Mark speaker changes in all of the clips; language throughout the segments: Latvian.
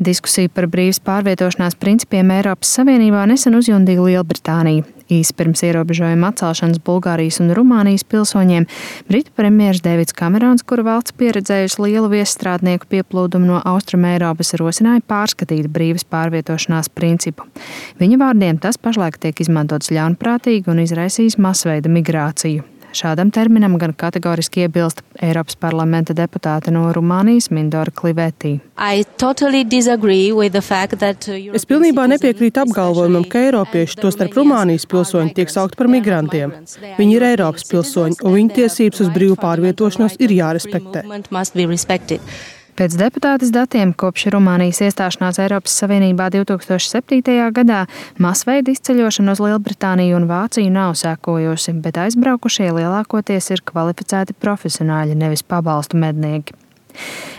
Speaker 1: Diskusiju par brīvas pārvietošanās principiem Eiropas Savienībā nesen uzjundīja Lielbritānija. Īsi pirms ierobežojuma atcelšanas Bulgārijas un Rumānijas pilsoņiem Britu premjers Deivids Kamerons, kura valsts pieredzējusi lielu viesstrādnieku pieplūdumu no Austrumeiropas, rosināja pārskatīt brīvas pārvietošanās principu. Viņa vārdiem tas pašlaik tiek izmantots ļaunprātīgi un izraisījis masveida migrāciju. Šādam terminam gan kategoriski iebilst Eiropas parlamenta deputāte no Rumānijas Mindora Klivetī.
Speaker 2: Es pilnībā nepiekrītu apgalvojumam, ka eiropieši, tostarp Rumānijas pilsoņi, tiek saukti par migrantiem. Viņi ir Eiropas pilsoņi, un viņu tiesības uz brīvu pārvietošanos ir jārespektē.
Speaker 1: Pēc deputātes datiem kopš Rumānijas iestāšanās Eiropas Savienībā 2007. gadā masveida izceļošana uz Lielbritāniju un Vāciju nav sekojusi, bet aizbraukušie lielākoties ir kvalificēti profesionāļi, nevis pabalstu mednieki.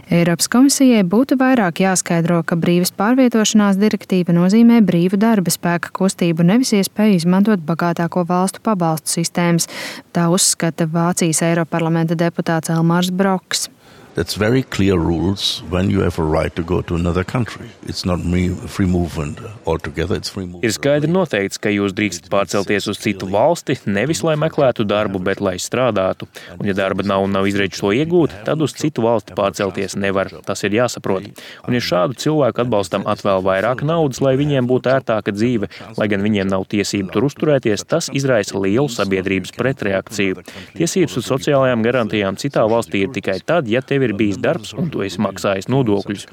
Speaker 1: Eiropas komisijai būtu vairāk jāskaidro, ka brīvas pārvietošanās direktīva nozīmē brīvu darba spēka kustību, nevis iespēju izmantot bagātāko valstu pabalstu sistēmas. Tā uzskata Vācijas Eiroparlamenta deputāts Elmārs Broks.
Speaker 3: That's very clear rules when you have a right to go to another country. It's not free movement altogether, it's free movement.
Speaker 4: Ir skaidri noteikts, ka jūs drīkstat pārcelties uz citu valsti, nevis lai meklētu darbu, bet lai strādātu. Un ja darba nav izredzes to iegūt, tad uz citu valsti pārcelties nevar. Tas ir jāsaprot. Un ja šādu cilvēku atbalstam atvēl vairāk naudas, lai viņiem būtu ērtāka dzīve, lai gan viņiem nav tiesību tur uzturēties, tas izraisa lielu sabiedrības pretreakciju. Tiesības uz sociālajām garantijām citā valstī ir tikai tad, ja tev ir bijis darbs un tu esi maksājis nodokļus.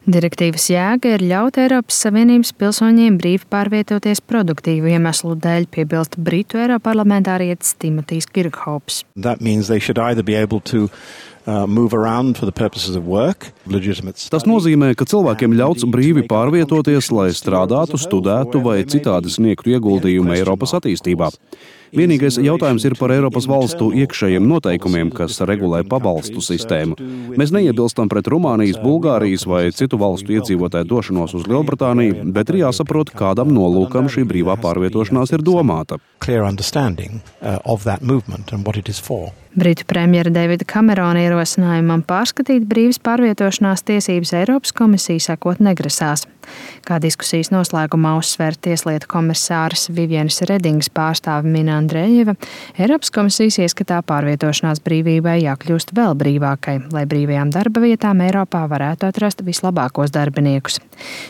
Speaker 1: Direktīvas jēga ir ļaut Eiropas Savienības pilsoņiem brīvi pārvietoties produktīvu iemeslu dēļ, piebilst Britu eiroparlamentārietis Timotijs Kirkhops.
Speaker 5: Tas nozīmē, ka cilvēkiem ļauts brīvi pārvietoties, lai strādātu, studētu vai citādi sniegtu ieguldījumu Eiropas attīstībā. Vienīgais jautājums ir par Eiropas valstu iekšējiem noteikumiem, kas regulē pabalstu sistēmu. Mēs neiebilstam pret Rumānijas, Bulgārijas vai citu valstu iedzīvotāju došanos uz Lielbritāniju, bet ir jāsaprot, kādam nolūkam šī brīvā pārvietošanās ir domāta.
Speaker 1: Britu premjera Deivida Kamerona ierosinājumam pārskatīt brīvas pārvietošanās tiesības Eiropas komisija sekot negrasās. Kā diskusijas noslēgumā uzsver tieslietu komisārs Vivienas Redingas pārstāve Mina Andrejeva, Eiropas komisijas ieskatā pārvietošanās brīvībai jākļūst vēl brīvākai, lai brīvajām darba vietām Eiropā varētu atrast vislabākos darbiniekus.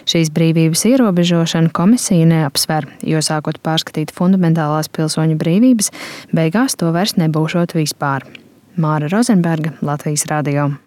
Speaker 1: Šīs brīvības ierobežošanu komisija neapsver, jo sākot pārskatīt fundamentālās pilsoņu brīvības, beigās to vairs nebūšot vispār. Māra Rozenberga, Latvijas radio.